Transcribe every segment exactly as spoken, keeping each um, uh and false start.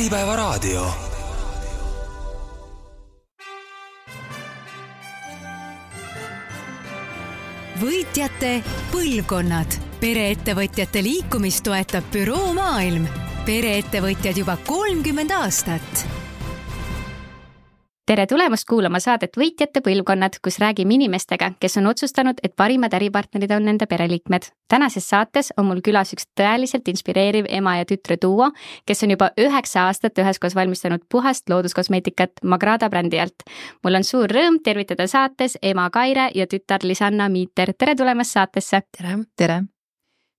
Äripäevaraadio. Võitjate põlvkonnad. Pereettevõtjate liikumist toetab Büroo Maailm. Pereettevõtjad juba kolmkümmend aastat. Tere tulemast kuulama saadet Võitjate põlvkonnad, kus räägime inimestega, kes on otsustanud, et parimad äripartnerid on nende pereliikmed. Tänases saates on mul külas üks tõeliselt inspireeriv ema ja tütre duo, kes on juba üheksa aastat üheskoos valmistanud puhast looduskosmeetikat Magrada brändi alt. Mul on suur rõõm tervitada saates ema Kaire ja tütar Lisanna Miiter. Tere tulemast saatesse! Tere! Tere!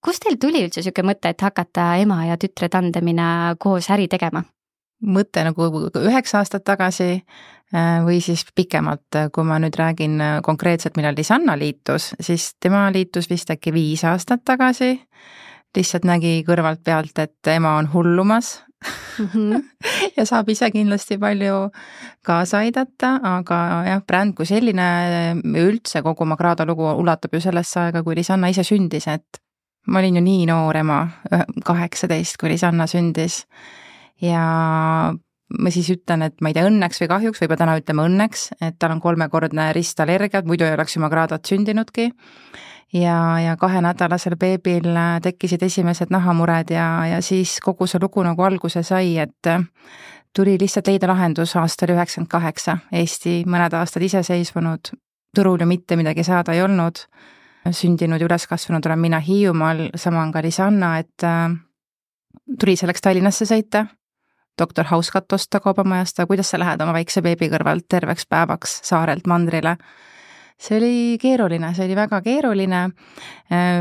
Kust teil tuli üldse siuke mõte, et hakata ema ja tütre tandemina koos äri tegema? Mõte nagu üheksa aastat tagasi või siis pikemalt, kui ma nüüd räägin konkreetselt, millal Lisanna liitus, siis tema liitus vist äkki viis aastat tagasi. Lihtsalt nägi kõrvalt pealt, et ema on hullumas mm-hmm. ja saab ise kindlasti palju kaasa aidata, aga jah, bränd kui selline, üldse kogu Magrada lugu ulatub ju sellesse aega, kui Lisanna ise sündis, et ma olin ju nii noor ema, kaheksateist, kui Lisanna sündis. Ja ma siis ütlen, et ma ei tea õnneks või kahjuks, või täna ütleme õnneks, et tal on kolmekordne ristallergiat, muidu ei oleks ju Magradat sündinudki. Ja, ja kahe nädalasel beebil tekkisid esimesed nahamured ja, ja siis kogu see lugu nagu alguse sai, et tuli lihtsalt leida lahendus aastal üheksakümmend kaheksa. Eesti mõned aastad iseseisvunud, turul ju mitte midagi saada ei olnud. Sündinud ja üles kasvanud olen mina Hiiumaal, sama on ka Lisanna, et tuli selleks Tallinnasse sõita. Doktor Hauskat osta kaubamajast, kuidas sa lähed oma väikse beebi kõrvalt terveks päevaks saarelt mandrile. See oli keeruline, see oli väga keeruline,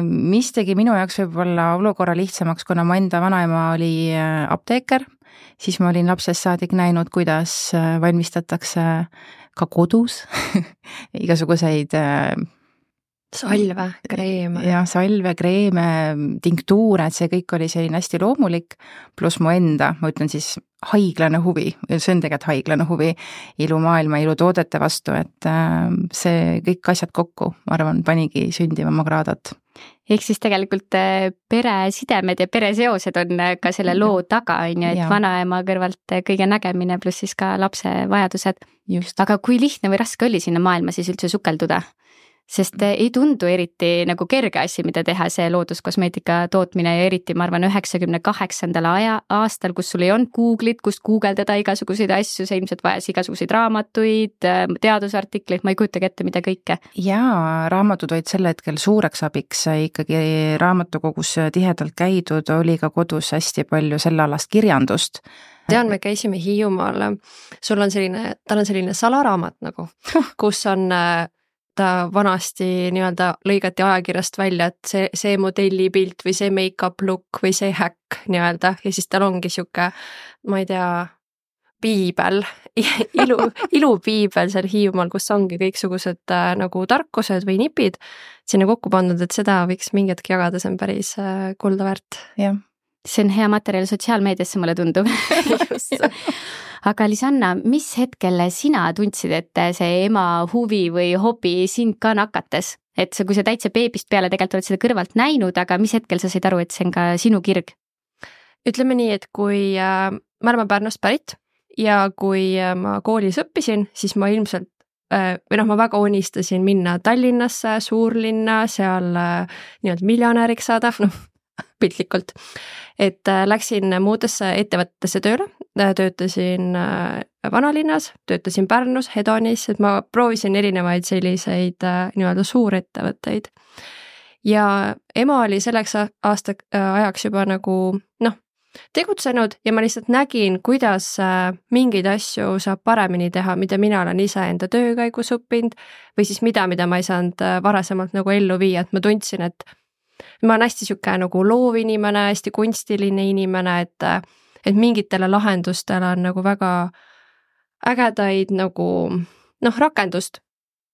mis tegi minu jaoks võib-olla olukorra lihtsamaks, kuna mu enda vanaema oli apteeker, siis ma olin lapsest saadik näinud, kuidas valmistatakse ka kodus igasuguseid salve, kreeme. Ja salve, kreeme, tinktuure, et see kõik oli selline hästi loomulik, pluss mu enda, ma ütlen siis haiglane huvi, see on tegelikult haiglane huvi ilumaailma, ilutoodete vastu, et see kõik asjad kokku, ma arvan, panigi sündima Magradat. Ehk siis tegelikult peresidemed ja pereseosed on ka selle loo taga, on ju, et ja. Vanaema kõrvalt kõige nägemine pluss siis ka lapse vajadused. Just. Aga kui lihtne või raske oli sinna maailma siis üldse sukelduda? Sest ei tundu eriti nagu kerge asi, mida teha see looduskosmeetika tootmine ja eriti, ma arvan, üheksakümne kaheksandal aja, aastal, kus sul ei olnud Google'it, kust guugeldada igasuguseid asju, see ilmselt vajas igasuguseid raamatuid, teadusartikleid, ma ei kujutagi ette, mida kõike. Jaa, raamatud olid sel hetkel suureks abiks, ikkagi raamatukogus tihedalt käidud, oli ka kodus hästi palju selle alast kirjandust. Tean, me käisime Hiiumaal, sul on selline, tal on selline salaraamat nagu, kus on ta vanasti nii-öelda lõigati ajakirjast välja, et see, see modellipilt või see make-up look või see häkk nii-öelda ja siis tal ongi siuke, ma ei tea, piibel, ilu, ilupiibel seal Hiiumaal, kus ongi kõiksugused äh, nagu tarkused või nipid sinna kokku pandud, et seda võiks mingi hetk jagada, see on päris äh, kulda väärt. Jah. See on hea materjal sotsiaalmeediasse, mulle tundub. Aga Lisanna, mis hetkel sina tundsid, et see ema huvi või hobi sind ka nakates? Et see, kui sa täitsa beebist peale tegelikult oled seda kõrvalt näinud, aga mis hetkel sa said aru, et see on ka sinu kirg? Ütleme nii, et kui äh, ma olen Pärnust pärit ja kui äh, ma koolis õppisin, siis ma ilmselt äh, või noh, ma väga unistasin minna Tallinnasse, suurlinna, seal äh, nii-öelda miljonääriks saada, noh, piltlikult, et läksin muudesse ettevõttesse tööle, töötasin vanalinnas, töötasin Pärnus, Hedonis, et ma proovisin erinevaid selliseid nii-öelda suurettevõtteid. Ja ema oli selleks aasta ajaks juba nagu, noh, tegutsenud ja ma lihtsalt nägin, kuidas mingeid asju saab paremini teha, mida mina olen ise enda töökäigus õppinud või siis mida, mida ma ei saanud varasemalt nagu ellu viia, et ma tundsin, et ma olen hästi siuke nagu loov inimene, hästi kunstiline inimene, et, et mingitele lahendustele on nagu väga ägedaid nagu, noh, rakendust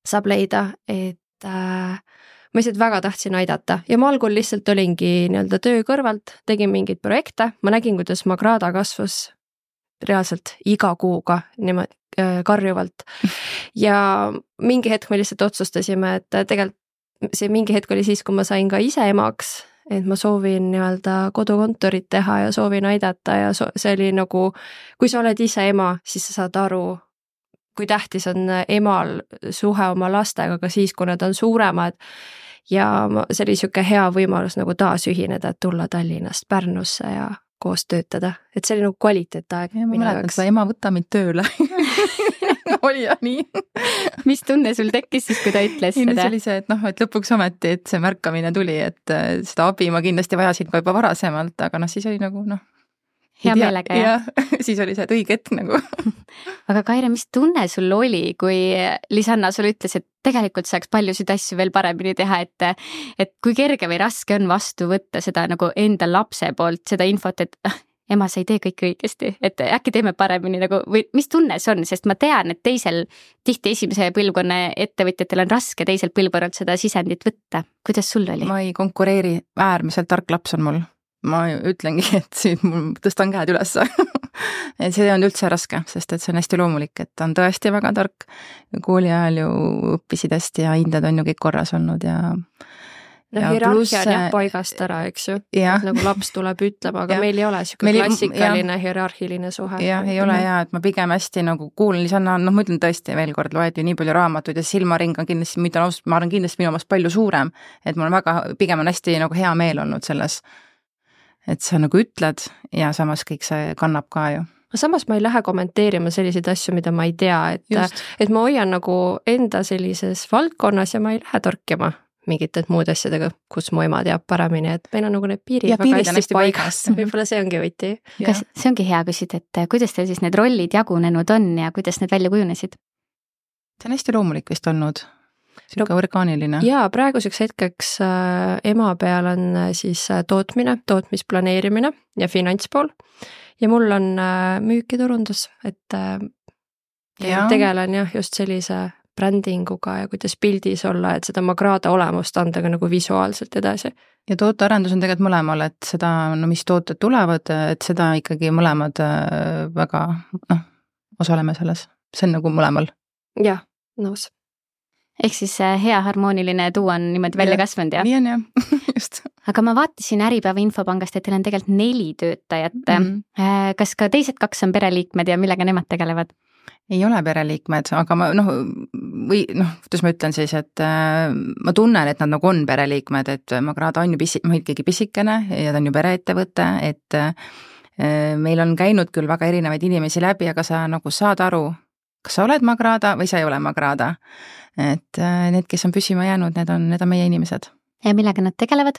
saab leida, et äh, ma lihtsalt väga tahtsin aidata ja ma algul lihtsalt olingi nii-öelda töö kõrvalt, tegin mingeid projekte, ma nägin, kuidas Magrada kasvas reaalselt iga kuuga niimoodi äh, karjuvalt ja mingi hetk me lihtsalt otsustasime, et tegelikult see mingi hetk oli siis, kui ma sain ka ise emaks et ma soovin nii-öelda kodukontorit teha ja soovin aidata ja so see oli nagu, kui sa oled ise ema, siis sa saad aru, kui tähtis on emal suhe oma lastega ka siis, kui nad on suuremad ja see oli siuke hea võimalus nagu taas ühineda, et tulla Tallinnast Pärnusse ja koos töötada, et see oli nagu kvaliteetaeg. Ma mäletan, seda ema võtta mind tööle. Oli ja nii. Mis tunne sul tekkis siis, kui ta ütles seda? seda? See oli see, et noh, et lõpuks ometi, et see märkamine tuli, et seda abi ma kindlasti vajasin ka juba varasemalt, aga noh, siis oli nagu noh, hea meelega, jah? Ja, siis oli see, et õige hetk nagu. Aga Kaire, mis tunne sul oli, kui Lisanna sulle ütles, et tegelikult saaks paljusid asju veel paremini teha, et, et kui kerge või raske on vastu võtta seda nagu enda lapse poolt, seda infot, et ema, sa ei tee kõik õigesti, et äkki teeme paremini nagu, või mis tunne see on, sest ma tean, et teisel tihti esimese põlvkonna ettevõtjatel on raske teisel põlvkonnalt seda sisendit võtta. Kuidas sul oli? Ma ei konkureeri, äärmiselt tark laps on mul. Ma ütlengi, et siin mul tõstan käed üles. Et see on üldse raske, sest et see on hästi loomulik, et ta on tõesti väga tark. Kooli ajal ju õppisid hästi ja hinded on ju kõik korras olnud ja no ja hierarhia plus, on jah paigast ära, eks ju. Nagu laps tuleb ütlema, aga ja. Meil ei ole siuke meil, klassikaline ja. Hierarhiline suhe. Jah, ei ole ja, et ma pigem hästi nagu kuulen Lisanna, noh ma ütlen tõesti veel kord, loed ju nii palju raamatuid ja silmaring on kindlasti, mida ma olen kindlasti minu omast palju suurem, et mul on väga, pigem on hästi nagu hea meel olnud selles, et sa nagu ütled ja samas kõik see kannab ka ju. Samas ma ei lähe kommenteerima selliseid asju, mida ma ei tea, et, et ma hoian nagu enda sellises valdkonnas ja ma ei lähe torkima mingit muud asjadega, kus mu ema teab paremini, et meil on nagu need piirid ja, väga hästi paigast. Võib-olla see ongi võti. Kas see ongi hea küsida, et kuidas teil siis need rollid jagunenud on ja kuidas need välja kujunesid? See on hästi loomulik vist olnud. Siuke no, orgaaniline. Jaa, praeguseks hetkeks äh, ema peal on äh, siis äh, tootmine, tootmisplaneerimine ja finantspool ja mul on äh, müük ja turundus, et äh, ja. tegelen jah just sellise brändinguga ja kuidas pildis olla, et seda Magrada olemust anda ka nagu visuaalselt edasi. Ja tootearendus on tegelikult mõlemal, et seda, no mis tooted tulevad, et seda ikkagi mõlemad äh, väga, noh, osaleme selles. See on nagu mõlemal. Jah, nõus. Ehk siis hea harmooniline tuu on niimoodi välja kasvanud, jah? Nii on jah, just. Aga ma vaatasin Äripäeva infopangast, et teil on tegelikult neli töötajat. Mm. Kas ka teised kaks on pereliikmed ja millega nemad tegelevad? Ei ole pereliikmed, aga ma noh, või noh, kuidas ma ütlen siis, et äh, ma tunnen, et nad nagu on pereliikmed, et Magrada on ju pisi, ikkagi pisikene ja ta on ju pereettevõte, et äh, meil on käinud küll väga erinevaid inimesi läbi, aga sa nagu saad aru, kas sa oled Magrada või sa ei ole Magrada. Et äh, need, kes on püsima jäänud, need on, need on meie inimesed. Ja millega nad tegelevad?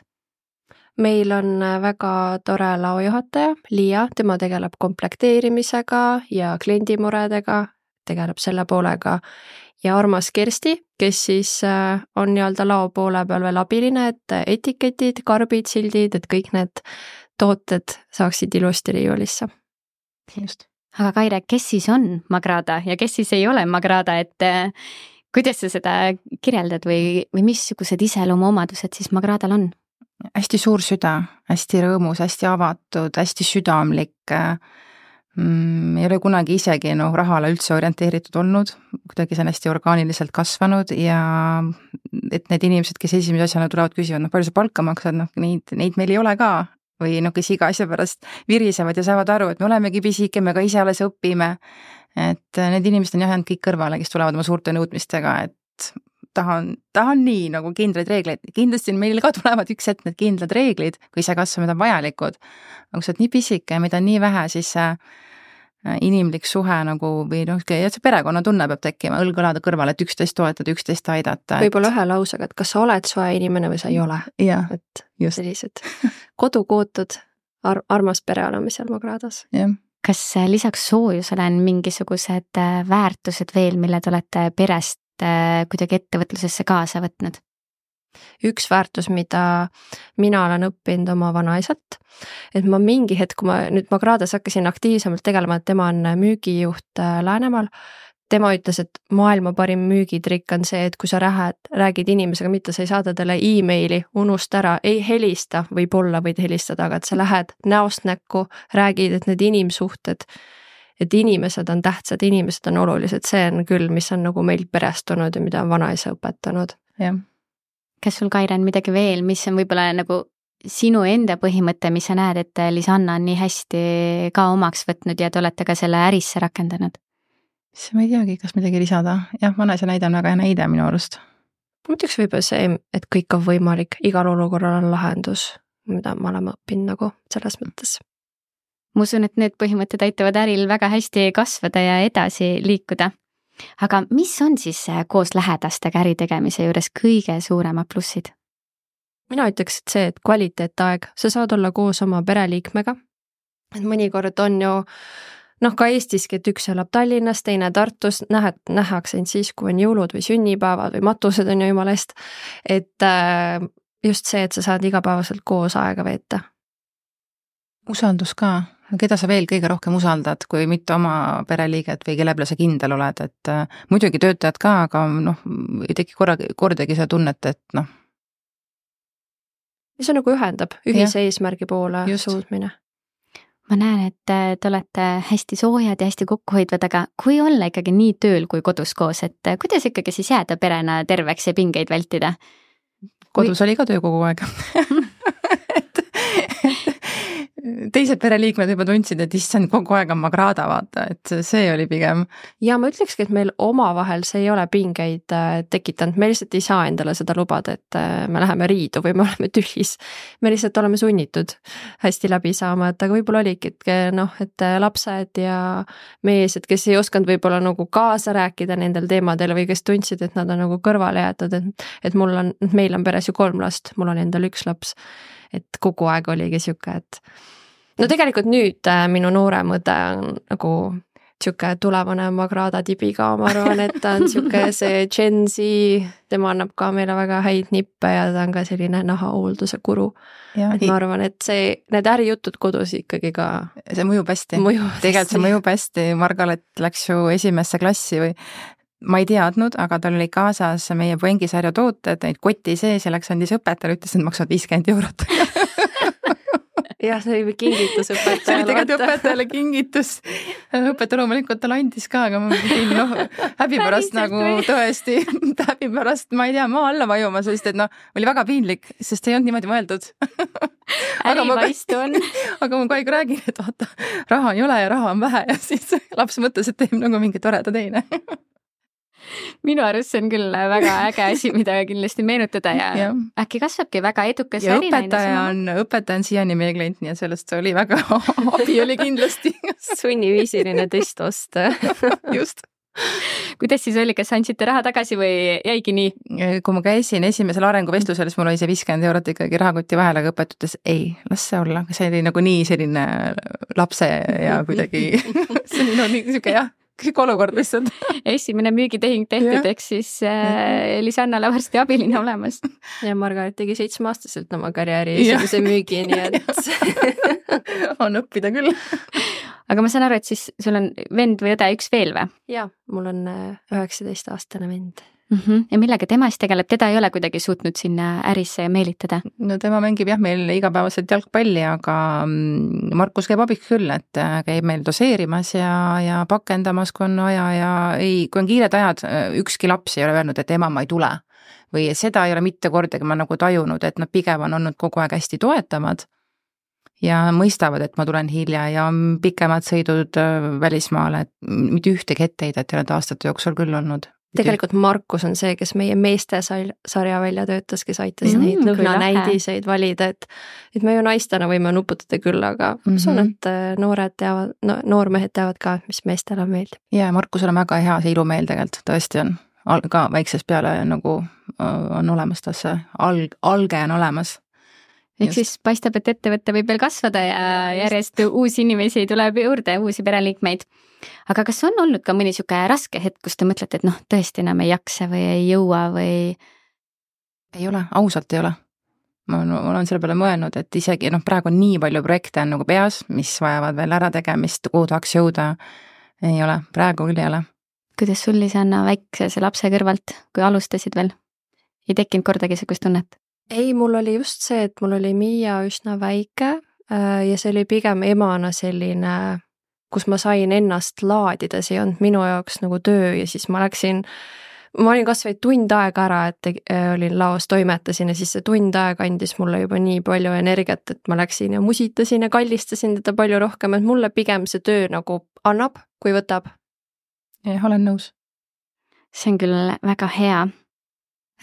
Meil on väga tore laojuhataja, Liia, tema tegeleb komplekteerimisega ja kliendimuredega, tegeleb selle poolega ja armas Kersti, kes siis on nii-öelda lao poole peal veel abiline, et etiketid, karbid, sildid, et kõik need tooted saaksid ilusti riiulisse. Just. Aga Kaire, kes siis on Magrada ja kes siis ei ole Magrada, et kuidas sa seda kirjeldad või, või missugused iseloomuomadused siis Magradal on? Hästi suur süda, hästi rõõmus, hästi avatud, hästi südamlik, mm, ei ole kunagi isegi no, rahale üldse orienteeritud olnud, kuidagi see on hästi orgaaniliselt kasvanud ja et need inimesed, kes esimese asjana tulevad küsivad, noh palju sa palka maksad, noh neid, neid meil ei ole ka või noh, kes iga asja pärast virisevad ja saavad aru, et me olemegi pisike, me ka ise alles õpime, et need inimesed on jah jäänud kõik kõrvale, kes tulevad oma suurte nõudmistega, et tahan, tahan nii nagu kindraid reegleid, kindlasti meil ka tulevad üks hetk need kindlad reeglid, kui ise kasvamine on vajalikud, aga kui sa oled nii pisike ja mida nii vähe, siis see inimlik suhe nagu või noh, see perekonna tunne peab tekkima, õlg-õlada kõrval, et üksteist toetada, üksteist aidata. Võib-olla ühe lausega, et kas sa oled soe inimene või sa ei ole. Ja, et just. Sellised kodukootud ar armas pere olemisel Magradas. Jah. Kas lisaks soojusele on mingisugused väärtused veel, mille te olete perest kuidagi ettevõtlusesse kaasa võtnud? Üks väärtus, mida mina olen õppinud oma vanaisalt, et ma mingi hetk, kui ma nüüd Magradas hakkasin aktiivsemalt tegelema, et tema on müügijuht Läänemaal, tema ütles, et maailma parim müügitrikk on see, et kui sa rääd, räägid inimesega, mitte sa ei saada talle e-maili, unust ära, ei helista, võib-olla võid helistada, aga et sa lähed näost näkku, räägid, et need inimsuhted, et inimesed on tähtsad, inimesed on olulised, see on küll, mis on nagu meil perestunud ja mida on vanaisa õpetanud. Jah. Kas sul, Kaire, on midagi veel, mis on võib-olla nagu sinu enda põhimõte, mis sa näed, et Lisanna on nii hästi ka omaks võtnud ja te olete ka selle ärisse rakendanud? siis ma ei teagi, kas midagi lisada. Jah, vanaisa näide on väga hea näide minu arust. ma ütleks võib-olla see, et kõik on võimalik, igal olukorral on lahendus, mida me oleme õppinud nagu selles mõttes. Ma usun, et need põhimõtted aitavad äril väga hästi kasvada ja edasi liikuda. Aga mis on siis koos lähedastega äritegemise juures kõige suuremad plussid? Mina ütleks, et see, et kvaliteetaeg, sa saad olla koos oma pereliikmega. Et mõnikord on ju, noh ka Eestiski, et üks elab Tallinnas, teine Tartus, nähed, nähakse ainult siis, kui on jõulud või sünnipäevad või matused on ju jumalast. Et just see, et sa saad igapäevaselt koos aega veeta. Usaldus ka. Keda sa veel kõige rohkem usaldad, kui mitte oma pereliiget või kelle peale sa kindel oled, et äh, muidugi töötajad ka, aga noh, ei teki korra, kordagi seda tunnet, et noh. mis on nagu ühendab ühise ja. Eesmärgi poole just. Suudmine. Ma näen, et te olete hästi soojad ja hästi kokkuhoidvad, aga kui olla ikkagi nii tööl kui kodus koos, et kuidas ikkagi siis jääda perena terveks ja pingeid vältida? Kodus kui... oli ka töö kogu aeg. Teised pereliikmed juba tundsid, et issand kogu aeg on magrada, vaata, et see oli pigem. Ja ma ütlekski, et meil omavahel see ei ole pingeid tekitanud, me lihtsalt ei saa endale seda lubada, et me läheme riidu või me oleme tühis. Me lihtsalt oleme sunnitud hästi läbi saama, et aga võib-olla oligi, et noh, et lapsed ja meesed, kes ei osanud võib-olla nagu kaasa rääkida nendel teemadel või kes tundsid, et nad on nagu kõrvale jäetud, et, et mul on, meil on peres ju kolm last, mul on endal üks laps, et kogu aeg oligi siuke, et no tegelikult nüüd äh, minu noorem õde on nagu siuke tulevane Magrada tibiga, ma arvan, et ta on siuke see Gen Z, tema annab ka meile väga häid nippe ja ta on ka selline nahahoolduse guru. Et ma arvan, et see, need ärijutud kodus ikkagi ka see mõjub hästi. Mõjub tegelikult see mõjub hästi, Margaret läks ju esimesse klassi või ma ei teadnud, aga tal oli kaasas meie Puengisarja tooted, neid koti sees ja läks andis õpetajale, ütles, et maksavad viiskümmend eurot. jah, see oli kingitus õpetajale. see oli tegelikult õpetajale kingitus. õpetaja loomulikult tal andis ka, aga ma pidin noh, häbi pärast nagu tõesti, häbi pärast, ma ei tea, maa alla vajuma, sest et noh, oli väga piinlik, sest ei olnud niimoodi mõeldud. Ärivaistu on. aga ma kogu aeg räägin, et vaata, raha ei ole ja raha on vähe ja siis laps mõtles, et teeb nagu mingi toreda teine. Minu arust see on küll väga äge asi, mida kindlasti meenutada ja, ja. Äkki kasvabki väga edukas ja õpetaja on, õpetaja on siiani meie klient, nii et sellest oli väga abi oli kindlasti. Sunniviisiline test osta. Just. Kuidas siis oli, kas andsite raha tagasi või jäigi nii? Kui ma käisin esimesel arenguvestlusel, siis mul oli see viiskümmend eurot ikkagi rahakotti vahel, aga õpetutes ei, las see olla. See oli nagu nii selline lapse ja kuidagi see oli no, nii siuke jah. Kõik olukord lihtsalt. Esimene müügitehing tehtud, eks siis äh, Lisannale varsti abiline olemas. Ja Margaret tegi seitsmeaastaselt oma karjääri esimese müügi, nii et on õppida küll. Aga ma saan aru, et siis sul on vend või õde üks veel või? Jaa, mul on üheksateist aastane vend. Mm-hmm. Ja millega tema siis tegeleb? Teda ei ole kuidagi suutnud sinna ärisse meelitada? No tema mängib jah meil igapäevaselt jalgpalli, aga Markus käib abiks küll, et käib meil doseerimas ja, ja pakendamas, kui on vaja ja ei, kui on kiired ajad, ükski laps ei ole öelnud, et ema, ma ei tule. Või seda ei ole mitte kordagi ma nagu tajunud, et nad pigem on olnud kogu aeg hästi toetavad ja mõistavad, et ma tulen hilja ja on pikemad sõidud välismaale, et mitte ühtegi etteheidet ei ole aastate jooksul küll olnud. Tegelikult Markus on see, kes meie meeste sarja välja töötas, kes aitas mm, neid lõhnanäidiseid valida, et, et me ju naistena võime nuputada küll, aga mm-hmm. see on, et noored teavad, no, noormehed teavad ka, mis meestele meeldib. Ja Markusel on väga hea see ilumeel tegelikult, tõesti on. Ka väiksest peale nagu on olemas tas see alg, alge on olemas. Ehk siis paistab, et ettevõtte võib veel kasvada ja järjest uusi inimesi tuleb juurde, uusi pereliikmeid. Aga kas on olnud ka mõni siuke raske hetk, kus te mõtlete, et noh, tõesti enam ei jaksa või ei jõua või? Ei ole, ausalt ei ole. Ma olen selle peale mõelnud, et isegi noh, praegu on nii palju projekte on nagu peas, mis vajavad veel ära tegemist, kuhu tahaks jõuda. Ei ole, praegu küll ei ole. Kuidas sul Lisanna väikse lapse kõrvalt, kui alustasid veel? Ei tekkinud kordagi sellist tunnet? Ei, mul oli just see, et mul oli Miia üsna väike ja see oli pigem emana selline, kus ma sain ennast laadida, see ei olnud minu jaoks nagu töö ja siis ma läksin, ma olin kas või tund aega ära, et olin laos, toimetasin ja siis see tund aega andis mulle juba nii palju energiat, et ma läksin ja musitasin ja kallistasin teda palju rohkem, et mulle pigem see töö nagu annab, kui võtab. Jah, olen nõus. See on küll väga hea.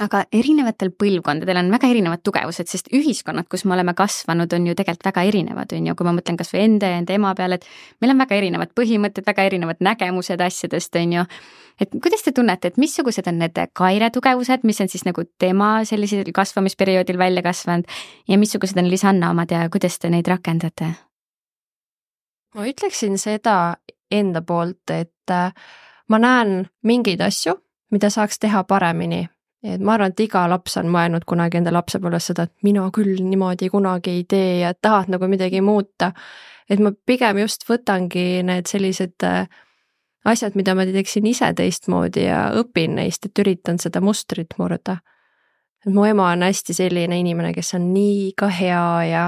Aga erinevatel põlvkondadel on väga erinevad tugevused, sest ühiskonnad, kus me oleme kasvanud, on ju tegelikult väga erinevad, on ju, kui ma mõtlen kas või enda ja enda ema peale, et meil on väga erinevad põhimõtted, väga erinevad nägemused asjadest, on ju. Et kuidas te tunnete, et missugused on need Kaire tugevused, mis on siis nagu tema sellisel kasvamisperioodil välja kasvanud ja missugused on Lisanna omad ja kuidas te neid rakendate? Ma ütleksin seda enda poolt, et ma näen mingeid asju, mida saaks teha paremini. Et ma arvan, et iga laps on mõelnud kunagi enda lapsepõlves seda, et mina küll niimoodi kunagi ei tee ja tahad nagu midagi muuta. Et ma pigem just võtangi need sellised asjad, mida ma teeksin ise teistmoodi ja õpin neist, et üritan seda mustrit murda. Et mu ema on hästi selline inimene, kes on nii ka hea ja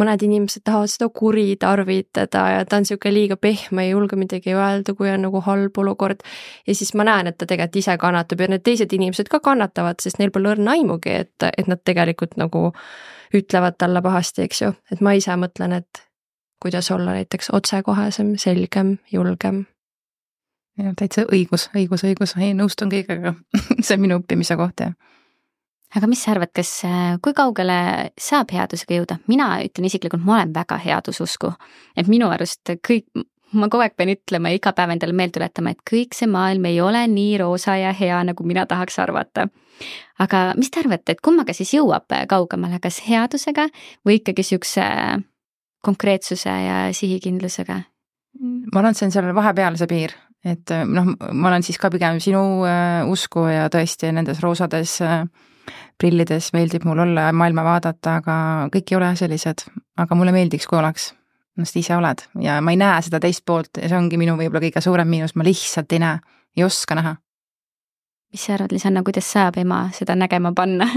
mõned inimesed tahavad seda kuri tarvitada ja ta on siuke liiga pehme, ei julge midagi öelda, kui on nagu halb olukord. Ja siis ma näen, et ta tegelikult ise kannatab ja need teised inimesed ka kannatavad, sest neil pole õrna aimugi, et, et nad tegelikult nagu ütlevad talle pahasti, eks ju. Et ma ise mõtlen, et kuidas olla näiteks otsekohesem, selgem, julgem. Ja täitsa õigus, õigus, õigus, ei nõustun kõigega. See on minu õppimise koht, jah. Aga mis sa arvad, kas, kui kaugele saab headusega jõuda? Mina ütlen isiklikult, ma olen väga headususku. Et minu arust kõik, ma kogu aeg pean ütlema ja iga päev endale meel tuletama, et kõik see maailm ei ole nii roosa ja hea, nagu mina tahaks arvata. Aga mis te arvate, et kummaga siis jõuab kaugemale, kas headusega või ikkagi siukse konkreetsuse ja sihikindlusega? Ma arvan, et see on selle vahepeal see piir. Et noh, ma olen siis ka pigem sinu usku ja tõesti nendes roosades prillides meeldib mul olla ja maailma vaadata, aga kõik ei ole sellised. Aga mulle meeldiks, kui oleks, ennast ise oled. Ja ma ei näe seda teist poolt ja see ongi minu võib-olla kõige suurem miinus, ma lihtsalt ei näe, ei oska näha. Mis sa arvad, Lisanna, kuidas saab ema seda nägema panna?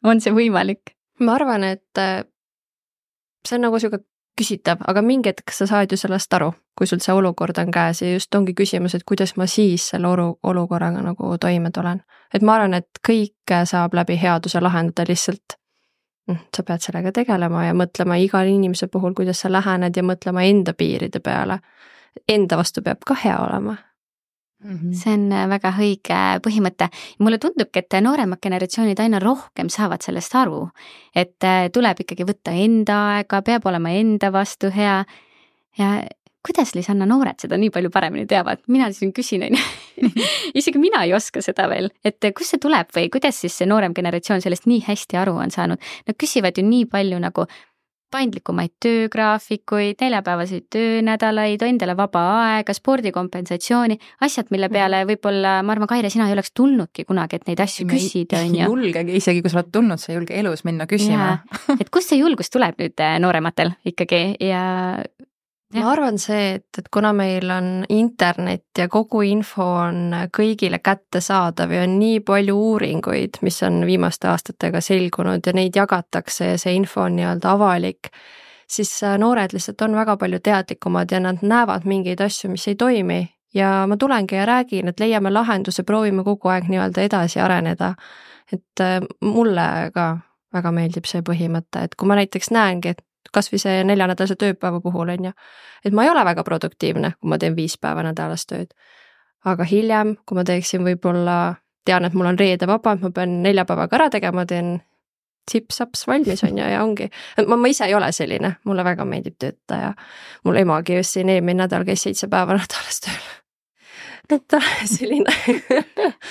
On see võimalik? Ma arvan, et see on nagu siuke küsitav, aga mingi hetk sa saad ju sellest aru, kui sul see olukord on käes ja just ongi küsimus, et kuidas ma siis selle olukorraga nagu toime tulen. Et ma arvan, et kõike saab läbi headuse lahendada lihtsalt. Sa pead sellega tegelema ja mõtlema igal inimese puhul, kuidas sa lähened ja mõtlema enda piiride peale. Enda vastu peab ka hea olema. See on väga õige põhimõte. Mulle tundubki, et nooremad generatsioonid aina rohkem saavad sellest aru, et tuleb ikkagi võtta enda aega, peab olema enda vastu hea. Ja kuidas, Lisanna, noored seda nii palju paremini teavad? Mina siin küsin, isegi mina ei oska seda veel, et kus see tuleb või kuidas siis see noorem generatsioon sellest nii hästi aru on saanud? Nad küsivad ju nii palju nagu paindlikumaid töögraafikuid, neljapäevaseid töönädalaid, endale vaba aega, spordikompensatsiooni, asjad, mille peale võib-olla, ma arvan, Kaire, sina ei oleks tulnudki kunagi, et neid asju küsida. Ei julgegi, isegi kui sa oled tulnud, sa ei julge elus minna küsima. Et kust see julgus tuleb nüüd noorematel ikkagi ja... Ma arvan see, et, et kuna meil on internet ja kogu info on kõigile kättesaadav ja on nii palju uuringuid, mis on viimaste aastatega selgunud ja neid jagatakse ja see info on nii-öelda avalik, siis noored lihtsalt on väga palju teadlikumad ja nad näevad mingeid asju, mis ei toimi ja ma tulengi ja räägin, et leiame lahenduse, proovime kogu aeg nii-öelda edasi areneda. Et mulle ka väga meeldib see põhimõte, et kui ma näiteks näengi, et kas või see neljanädalase tööpäeva puhul on ju, et ma ei ole väga produktiivne, kui ma teen viis päeva nädalas tööd. Aga hiljem, kui ma teeksin võib-olla, tean, et mul on reede vaba, ma pean neljapäevaga ära tegema, teen sips-saps valmis on ju ja ongi. Ma, ma ise ei ole selline, mulle väga meeldib tööta ja mul emagi just siin eelmine nädal käis seitse päeva nädalas tööl. Et selline.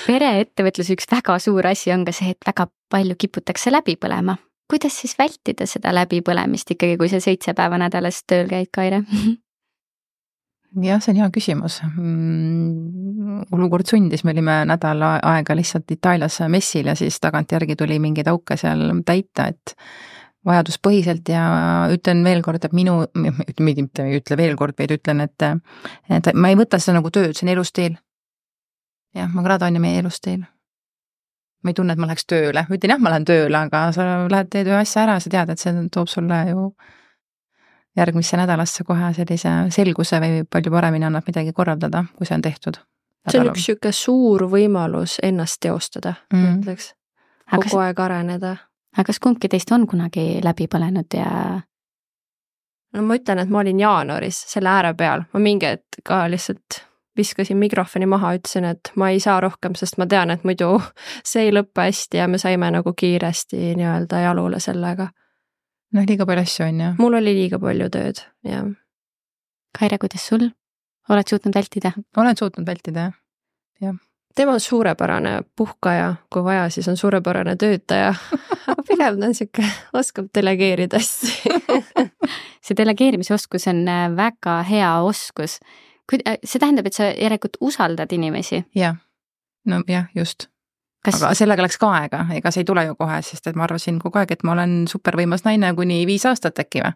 Pereettevõtlus üks väga suur asi on ka see, et väga palju kiputakse läbi põlema. Kuidas siis vältida seda läbipõlemist ikkagi, kui see seitse päeva nädalas tööl käid, Kaire? Jah, see on hea küsimus. Olukord sundis, me olime nädal aega lihtsalt Itaalias messil ja siis tagantjärgi tuli mingeid auke seal täita, et vajaduspõhiselt ja ütlen veel kord, et minu, mitte ei ütle veel kord, vaid ütlen, et, et ma ei võta seda nagu tööd, see on elustiil. Jah, ma kradan ja meie elustiil. Ma ei tunne, et ma läheks tööle. Ütlen jah, ma lähen tööle, aga sa lähed teed ühe asja ära, sa tead, et see toob sulle ju järgmisse nädalasse kohe sellise selguse või palju paremini annab midagi korraldada, kui see on tehtud. see on üks siuke suur võimalus ennast teostada mm, -hmm. ütleks, kogu kas, aeg areneda. aga kas kumbki teist on kunagi läbi põlenud ja? no ma ütlen, et ma olin jaanuaris selle ääre peal, ma mingi hetk ka lihtsalt viskasin mikrofoni maha, ütlesin, et ma ei saa rohkem, sest ma tean, et muidu see ei lõppe hästi ja me saime nagu kiiresti nii-öelda jalule sellega. noh, liiga palju asju on ju. mul oli liiga palju tööd, jah. Kaire, kuidas sul? Oled suutnud vältida? Olen suutnud vältida, jah. jah. tema on suurepärane puhkaja, kui vaja, siis on suurepärane töötaja. aga pigem ta on siuke, oskab delegeerida asju. see delegeerimise oskus on väga hea oskus. see tähendab, et sa järelikult usaldad inimesi? jah, no jah, just. Kas... aga sellega läks ka aega, ega see ei tule ju kohe, sest et ma arvasin kogu aeg, et ma olen supervõimas naine kuni viis aastat äkki või.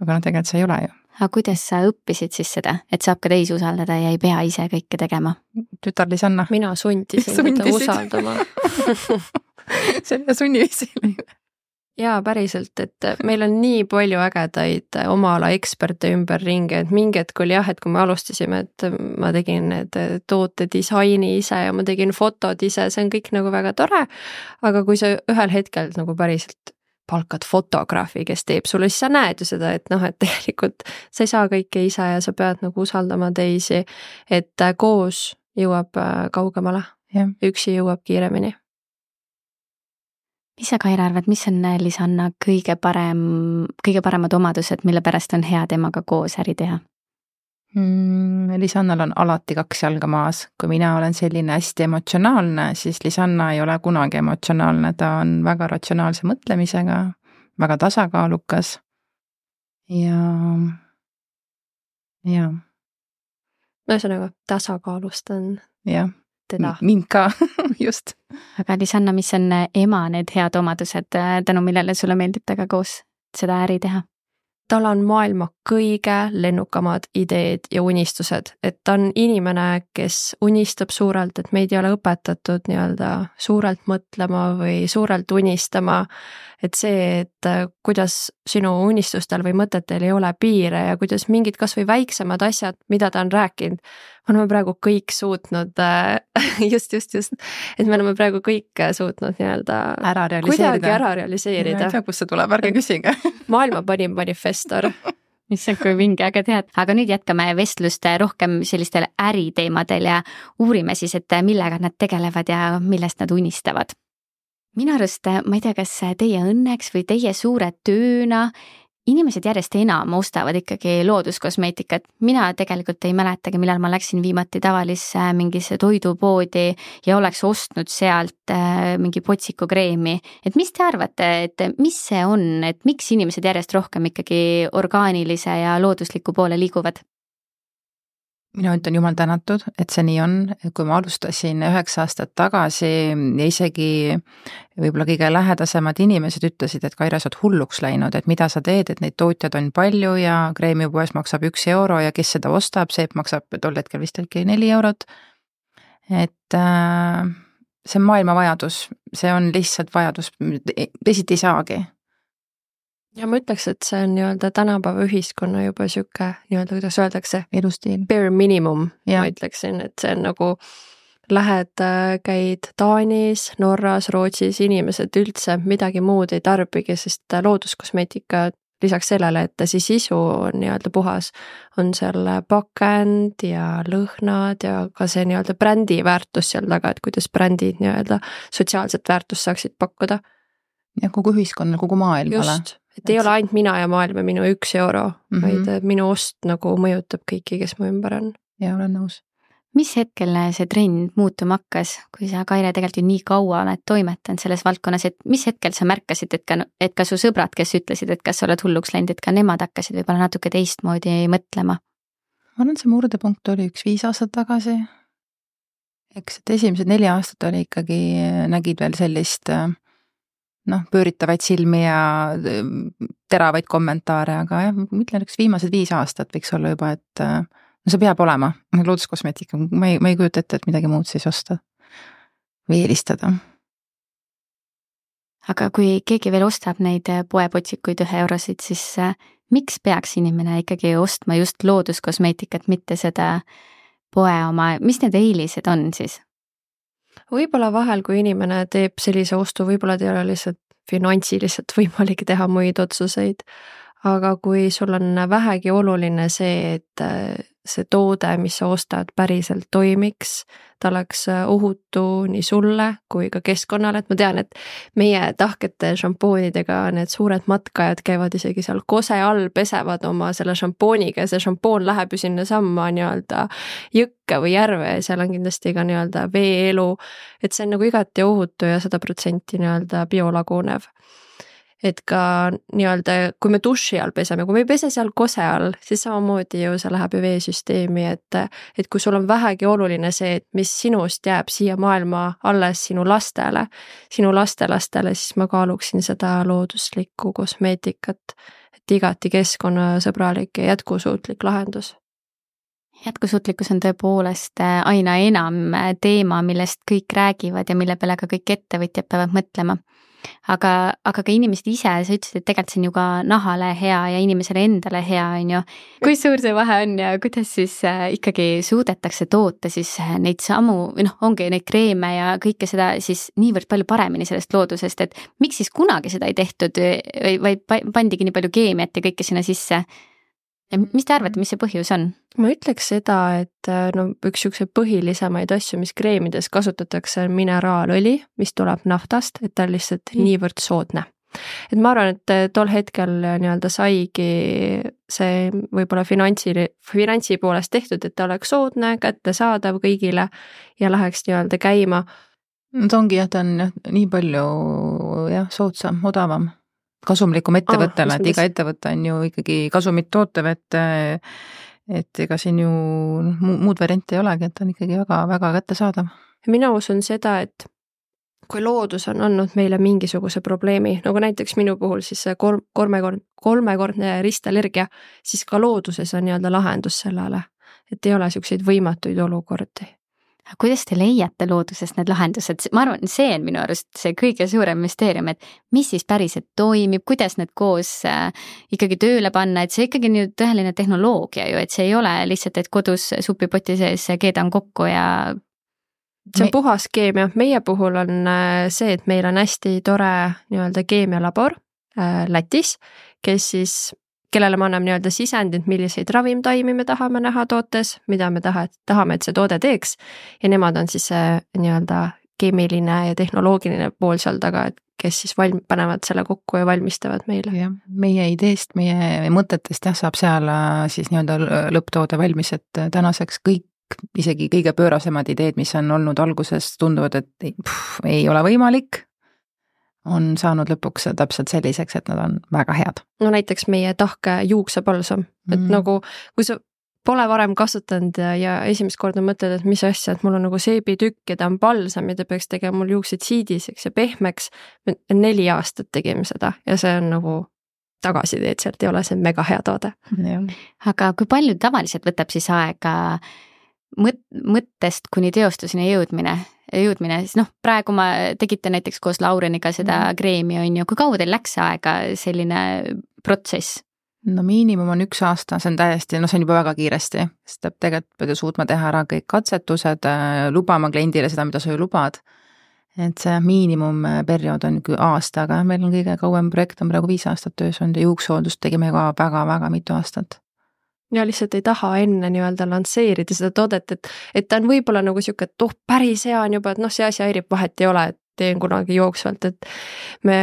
aga no tegelikult see ei ole ju. aga kuidas sa õppisid siis seda, et saab ka teisi usaldada ja ei pea ise kõike tegema? Tütar Lisanna. mina sundisin teda usaldama. see on sunniviisil. jaa, päriselt, et meil on nii palju ägedaid oma ala eksperte ümberringi, et mingi hetk oli jah, et kui me alustasime, et ma tegin need tootedisaini ise ja ma tegin fotod ise, see on kõik nagu väga tore, aga kui sa ühel hetkel nagu päriselt palkad fotograafi, kes teeb sulle, siis sa näed ju seda, et noh, et tegelikult sa ei saa kõike ise ja sa pead nagu usaldama teisi, et koos jõuab kaugemale, üksi jõuab kiiremini. Mis sa, Kaire, arvad, mis on Lisanna kõige parem, kõige paremad omadused, mille pärast on hea temaga koos äri teha? Mm, Lisannal on alati kaks jalga maas. Kui mina olen selline hästi emotsionaalne, siis Lisanna ei ole kunagi emotsionaalne. Ta on väga ratsionaalse mõtlemisega, väga tasakaalukas ja, ja. Ühesõnaga, tasakaalustan jah. teda. Mind ka, just. Aga Lisanna, mis on ema need head omadused, tänu millele sulle meeldib temaga koos seda äri teha? Tal on maailma kõige lennukamad ideed ja unistused, et ta on inimene, kes unistab suurelt, et meid ei ole õpetatud nii-öelda suurelt mõtlema või suurelt unistama, et see, et kuidas sinu unistustel või mõtetel ei ole piire ja kuidas mingid kas või väiksemad asjad, mida ta on rääkinud, me oleme praegu kõik suutnud, just, just, just, et me oleme praegu kõik suutnud nii-öelda ära realiseerida. kuidagi ära realiseerida. Ma ei tea, kus see tuleb, ärge küsige. Maailma parim manifestor. Issand, kui vinge, aga tead. Aga nüüd jätkame vestlust rohkem sellistel äriteemadel ja uurime siis, et millega nad tegelevad ja millest nad unistavad. Minu arust, ma ei tea, kas teie õnneks või teie suure tööna inimesed järjest enam ostavad ikkagi looduskosmeetikat. Mina tegelikult ei mäletagi, millal ma läksin viimati tavalisse mingisse toidupoodi ja oleks ostnud sealt mingi potsiku kreemi. Et mis te arvate, et mis see on, et miks inimesed järjest rohkem ikkagi orgaanilise ja loodusliku poole liiguvad? Mina ütlen jumal tänatud, et see nii on. Kui ma alustasin üheksa aastat tagasi ja isegi võib-olla kõige lähedasemad inimesed ütlesid, et Kaire, sa oled hulluks läinud, et mida sa teed, et neid tootjad on palju ja kreemipoes maksab üks euro ja kes seda ostab, see maksab tol hetkel vist äkki neli eurot. Et äh, see on maailma vajadus, see on lihtsalt vajadus, teisiti ei saagi. Ja ma ütleks, et see on nii-öelda tänapäeva ühiskonna juba siuke, nii-öelda kuidas öeldakse, elustiil. Bare minimum, ja. Ma ütleksin, et see on nagu lähed, käid Taanis, Norras, Rootsis, inimesed üldse midagi muud ei tarbigi, sest looduskosmeetika lisaks sellele, et see sisu on nii-öelda puhas, on seal pakend ja lõhnad ja ka see nii-öelda brändi väärtus seal taga, et kuidas brändid nii-öelda sotsiaalset väärtust saaksid pakkuda. Ja kogu ühiskonnal, kogu maailmale. Just, et ei ole ainult mina ja maailm ja minu üks euro, mm-hmm. vaid minu ost nagu mõjutab kõiki, kes mu ümber on. Ja olen nõus. Mis hetkel see trend muutuma hakkas, kui sa, Kaire, tegelikult ju nii kaua oled toimetanud selles valdkonnas, et mis hetkel sa märkasid, et ka, et ka su sõbrad, kes ütlesid, et kas sa oled hulluks läinud, et ka nemad hakkasid võib-olla natuke teistmoodi mõtlema? Ma arvan, see murdepunkt oli üks viis aastat tagasi. Eks, et esimesed neli aastat oli ikkagi, nägid veel sellist noh, pööritavaid silmi ja teravaid kommentaare, aga jah, ma ütlen, üks viimased viis aastat võiks olla juba, et no see peab olema, looduskosmeetika, ma ei, ma ei kujuta ette, et midagi muud siis osta või eelistada. Aga kui keegi veel ostab neid poepotsikuid ühe eurosid, siis miks peaks inimene ikkagi ostma just looduskosmeetikat, mitte seda poe oma, mis need eelised on siis? Võib-olla vahel, kui inimene teeb sellise ostu, võib-olla ta ei ole lihtsalt finantsiliselt võimalik teha muid otsuseid, aga kui sul on vähegi oluline see, et see toode, mis sa ostad, päriselt toimiks, ta oleks ohutu nii sulle kui ka keskkonnale, et ma tean, et meie tahkete šampoonidega need suured matkajad käivad isegi seal kose all, pesevad oma selle šampooniga ja see šampoon läheb ju sinna samma nii-öelda jõkke või järve ja seal on kindlasti ka nii-öelda veeelu, et see on nagu igati ohutu ja sada protsenti nii-öelda biolagunev. Et ka nii-öelda, kui me duši all peseme, kui me ei pese seal kose all, siis samamoodi ju see läheb ju veesüsteemi, et, et kui sul on vähegi oluline see, et mis sinust jääb siia maailma alles sinu lastele, sinu lastelastele, siis ma kaaluksin seda looduslikku kosmeetikat, et igati keskkonnasõbralik ja jätkusuutlik lahendus. Jätkusuutlikkus on tõepoolest aina enam teema, millest kõik räägivad ja mille peale ka kõik ettevõtjad peavad mõtlema. Aga, aga ka inimesed ise, sa ütlesid, et tegelikult see on ju ka nahale hea ja inimesele endale hea, on ju. Kui suur see vahe on ja kuidas siis ikkagi suudetakse toota siis neid samu, või noh, ongi neid kreeme ja kõike seda siis niivõrd palju paremini sellest loodusest, et miks siis kunagi seda ei tehtud, vaid pandigi nii palju keemiat ja kõike sinna sisse? Ja mis te arvate, mis see põhjus on? Ma ütleks seda, et no, üks üks põhilisemaid asju, mis kreemides kasutatakse, on mineraalõli, mis tuleb naftast, et ta on lihtsalt mm. niivõrd soodne. Et ma arvan, et tol hetkel nii-öelda saigi see võib-olla finantsi, finantsi poolest tehtud, et ta oleks soodne, kättesaadav kõigile ja läheks nii-öelda käima. Ta ongi jah, ta on jah, nii palju jah, soodsam, odavam. Kasumlikum ettevõttele, ah, et iga ettevõte on ju ikkagi kasumit tootev, et, et ega siin ju muud varianti ei olegi, et on ikkagi väga, väga kättesaadav. Mina usun seda, et kui loodus on andnud meile mingisuguse probleemi, nagu näiteks minu puhul siis kolm, kolmekord, kolmekordne ristallergia, siis ka looduses on nii-öelda lahendus sellele, et ei ole selliseid võimatuid olukordi. Kuidas te leiate loodusest need lahendused? Ma arvan, see on minu arust see kõige suurem müsteerium, et mis siis päriselt toimib, kuidas need koos äh, ikkagi tööle panna, et see ikkagi nüüd tõeline tehnoloogia ju, et see ei ole lihtsalt, et kodus supipoti sees keedan kokku ja... See on puhas keemia. Meie puhul on see, et meil on hästi tore nii-öelda keemialabor äh, Lätis, kes siis kellele me anname nii-öelda sisendid, milliseid ravimtaimi me tahame näha tootes, mida me taha, tahame, et see toode teeks ja nemad on siis see nii-öelda keemiline ja tehnoloogiline pool seal taga, et kes siis valm, panevad selle kokku ja valmistavad meile. Ja, meie ideest, meie mõtetest jah, saab seal siis nii-öelda lõpptoode valmis, et tänaseks kõik, isegi kõige pöörasemad ideed, mis on olnud alguses, tunduvad, et pff, ei ole võimalik, on saanud lõpuks täpselt selliseks, et nad on väga head. No näiteks meie tahke juuksepalsam, et mm. nagu kui sa pole varem kasutanud ja, ja esimest korda mõtled, et mis asja, et mul on nagu seebitükk ja ta on palsam ja ta peaks tegema mul juuksed siidiseks ja pehmeks, neli aastat tegime seda ja see on nagu tagasiteed, sealt ei ole see mega hea toode. Aga kui palju tavaliselt võtab siis aega mõt- mõttest kuni teostuseni jõudmine? jõudmine, siis noh, praegu ma tegite näiteks koos Laureniga seda mm. kreemi, on ju, kui kaua teil läks aega selline protsess? No miinimum on üks aasta, see on täiesti, no see on juba väga kiiresti, sest tegelikult pead ju suutma teha ära kõik katsetused, lubama kliendile seda, mida sa ju lubad, et see miinimumperiood on aasta, aga meil on kõige kauem projekt on praegu viis aastat töös olnud ja juuksooldust tegime ka väga-väga mitu aastat. Ja lihtsalt ei taha enne nii-öelda lansseerida seda toodet, et, et ta on võib-olla nagu siuke, et oh, päris hea on juba, et noh, see asi häirib, vahet ei ole, et teen kunagi jooksvalt, et me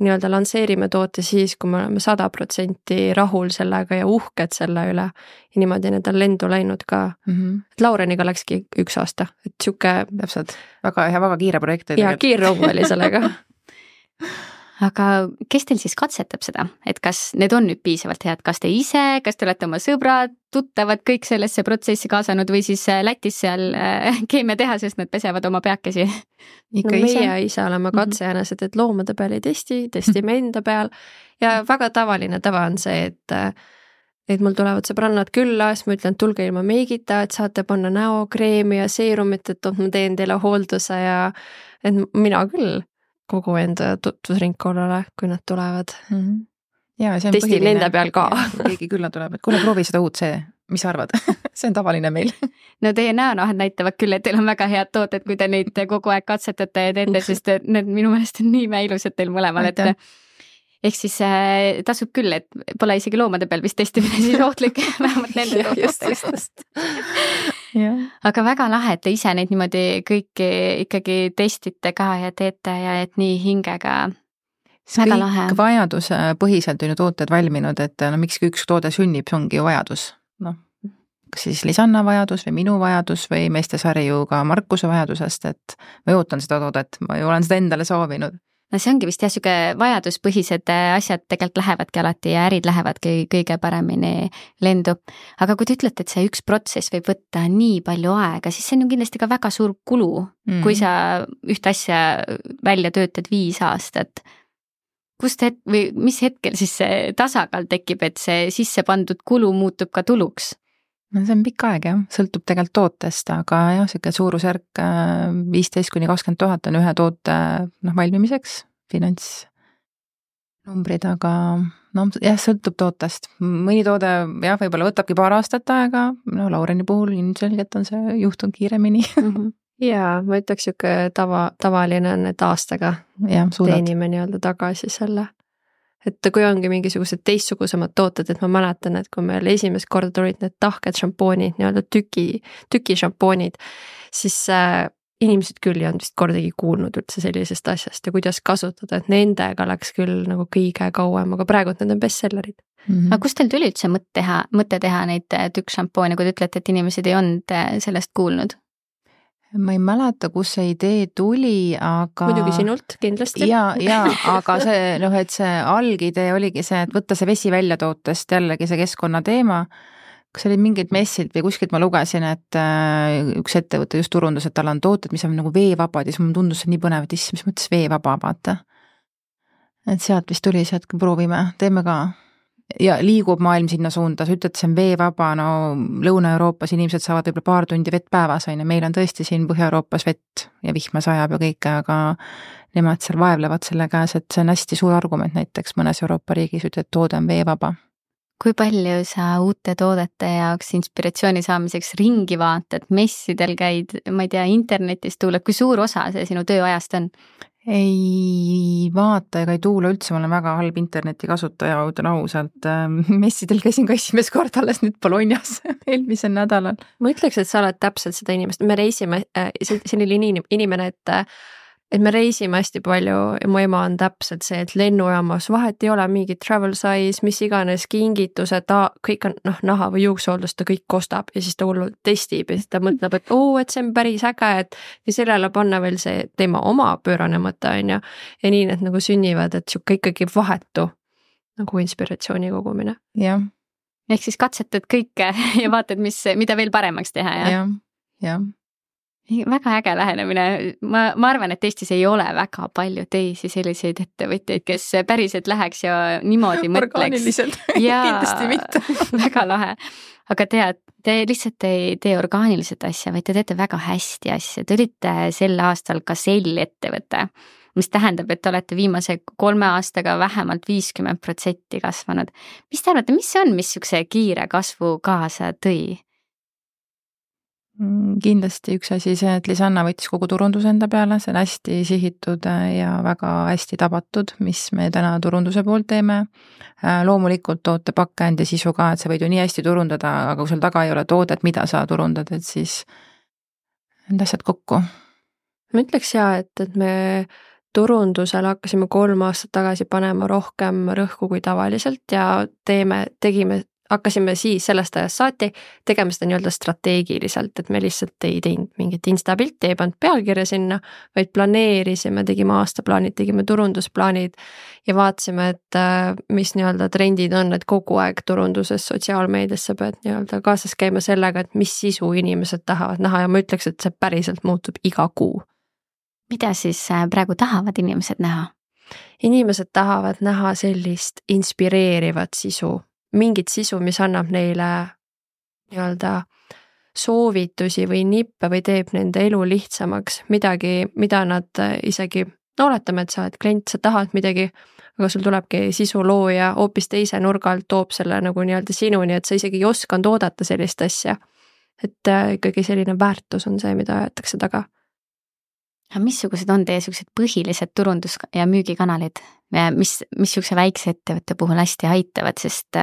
nii-öelda lansseerime toote siis, kui me oleme sada protsenti rahul sellega ja uhked selle üle ja niimoodi need on lendu läinud ka. Mm-hmm. Et Laureniga läkski üks aasta, et siuke... Täpselt, väga hea, väga kiire projekt. Ja kiirrong oli sellega. Aga kes teil siis katsetab seda, et kas need on nüüd piisavalt head, kas te ise, kas te olete oma sõbrad, tuttavad kõik sellesse protsessi kaasanud või siis Lätis seal keemiatehases nad pesevad oma peakesi? No meie ise, ise oleme katsejänased, et loomade peal ei testi, testime enda peal ja väga tavaline tava on see, et, et mul tulevad sõbrannad külla, siis ma ütlen, et tulge ilma meigita, et saate panna näokreemi ja seerumit, et ma teen teile hoolduse ja et mina küll kogu enda tutvusringkonnale, kui nad tulevad. Mm-hmm. Ja, see on testin nende peal ka. Keegi külla tuleb, et kuule, proovi seda uut see, mis sa arvad? See on tavaline meil. No teie näonahad näitavad küll, et teil on väga head tooted, kui te neid kogu aeg katsetate ja teete, sest need minu meelest on nii ilusad teil mõlemal, et ehk siis äh, tasub küll, et pole isegi loomade peal vist testimine siis ohtlik, vähemalt nende tootest. Aga väga lahe, et te ise neid niimoodi kõiki ikkagi testite ka ja teete ja et nii hingega. Väga kõik lahe. Vajaduse põhiselt on ju tooted valminud, et no miks üks toode sünnib, see ongi ju vajadus. Noh, kas siis Lisanna vajadus või minu vajadus või meestesari ju ka Markuse vajadusest, et ma ootan seda toodet, ma ju olen seda endale soovinud. No see ongi vist jah, siuke vajaduspõhised asjad tegelikult lähevadki alati ja ärid lähevadki kõige paremini lendu. Aga kui te ütlete, et see üks protsess võib võtta nii palju aega, siis see on ju kindlasti ka väga suur kulu, mm. kui sa ühte asja välja töötad viis aastat. Kust het- või mis hetkel siis see tasakaal tekib, et see sisse pandud kulu muutub ka tuluks? No see on pikk aeg jah, sõltub tegelikult tootest, aga jah, siuke suurusjärk viisteist kuni kakskümmend tuhat on ühe toote noh, valmimiseks, finantsnumbrid, aga no jah, sõltub tootest. Mõni toode jah, võib-olla võtabki paar aastat aega, no Laureni puhul ilmselgelt on see juhtunud kiiremini. Mm-hmm. Jaa, ma ütleks siuke tava, tavaline on, et aastaga ja, teenime nii-öelda tagasi selle. Et kui ongi mingisugused teistsugusemad tooted, et ma mäletan, et kui meil esimest korda tulid need tahked šampoonid, nii-öelda tüki, tüki šampoonid, siis äh, inimesed küll ei olnud vist kordagi kuulnud üldse sellisest asjast ja kuidas kasutada, et nendega läks küll nagu kõige kauem, aga praegu need on bestsellerid. Mm-hmm. Aga kust teil tuli üldse mõte teha, mõte teha neid tükk šampoone, kui te ütlete, et inimesed ei olnud sellest kuulnud? Ma ei mäleta, kus see idee tuli, aga... Muidugi sinult, kindlasti. Ja, ja, aga see, noh, et see algidee oligi see, et võtta see vesi välja tootest, jällegi see keskkonna teema. Kas oli mingid messid või kuskilt ma lugesin, et üks ettevõte just turundus, et tal on tooted, mis on nagu veevabad ja siis mul tundus see nii põnev, et issand, mis mõttes veevaba, vaata. Et sealt vist tuli see, et proovime, teeme ka... Ja liigub maailm sinna suunda, sa ütled, see on veevaba, no Lõuna-Euroopas inimesed saavad võib-olla paar tundi vett päevas, on ja meil on tõesti siin Põhja-Euroopas vett ja vihma sajab ja kõike, aga nemad seal vaevlevad selle käes, et see on hästi suur argument näiteks mõnes Euroopa riigis, ütled, et toode on veevaba. Kui palju sa uute toodete jaoks inspiratsiooni saamiseks ringi vaatad, messidel käid, ma ei tea, internetis tuuled, kui suur osa see sinu tööajast on? Ei vaata ega ei tuule üldse, ma olen väga halb interneti kasutaja, ütlen ausalt. Messidel käisin ka esimest kord alles nüüd Bolognas eelmisel nädalal. Ma ütleks, et sa oled täpselt seda inimest. Me reisime, selline inimene, et, et me reisime hästi palju ja mu ema on täpselt see, et lennujaamas vahet ei ole mingi travel size, mis iganes kingitused, ta kõik on noh, naha või juuksoldus, ta kõik kostab ja siis ta hullult testib ja siis ta mõtleb, et oo, et see on päris äge, et ja sellele panna veel see teema oma pöörane mõte on ja, ja nii need nagu sünnivad, et siuke ikkagi vahetu nagu inspiratsiooni kogumine. Jah. Ehk siis katsetad kõike ja vaatad, mis, mida veel paremaks teha, jah? Jah, jah. Väga äge lähenemine. Ma, ma arvan, et Eestis ei ole väga palju teisi selliseid ettevõtteid, kes päriselt läheks ja niimoodi mõtleks. Orgaaniliselt, kindlasti mitte. Väga lahe. Aga tead, te lihtsalt ei tee orgaaniliselt asja, vaid te teete väga hästi asja. Te olite sel aastal ka sell ettevõte, mis tähendab, et te olete viimase kolme aastaga vähemalt viiskümmend protsenti kasvanud. Mis te arvate, mis see on, mis sükse kiire kasvu kaasa tõi? Kindlasti üks asi see, et Lisanna võttis kogu turunduse enda peale, see on hästi sihitud ja väga hästi tabatud, mis me täna turunduse poolt teeme. Loomulikult toote pakend ja sisu ka, et sa võid ju nii hästi turundada, aga kui sul taga ei ole toodet, mida sa turundad, et siis need asjad kokku. Ma ütleks ja, et, et me turundusel hakkasime kolm aastat tagasi panema rohkem rõhku kui tavaliselt ja teeme, tegime hakkasime siis sellest ajast saati tegema seda nii-öelda strateegiliselt, et me lihtsalt ei teinud mingit instapilti, ei pannud pealkirja sinna, vaid planeerisime, tegime aastaplaanid, tegime turundusplaanid ja vaatasime, et mis nii-öelda trendid on, et kogu aeg turunduses sotsiaalmeediasse pead nii-öelda kaasas käima sellega, et mis sisu inimesed tahavad näha ja ma ütleks, et see päriselt muutub iga kuu. Mida siis praegu tahavad inimesed näha? Inimesed tahavad näha sellist inspireerivat sisu, mingit sisu, mis annab neile nii-öelda soovitusi või nippe või teeb nende elu lihtsamaks, midagi, mida nad isegi no oletame, et sa oled klient, sa tahad midagi, aga sul tulebki sisulooja hoopis teise nurga alt toob selle nagu nii-öelda sinuni, et sa isegi ei osanud oodata sellist asja. Et ikkagi selline väärtus on see, mida ajatakse taga. Missugused on teie sellised põhilised turundus- ja müügikanalid, mis, missuguse väikse ettevõtte puhul hästi aitavad, sest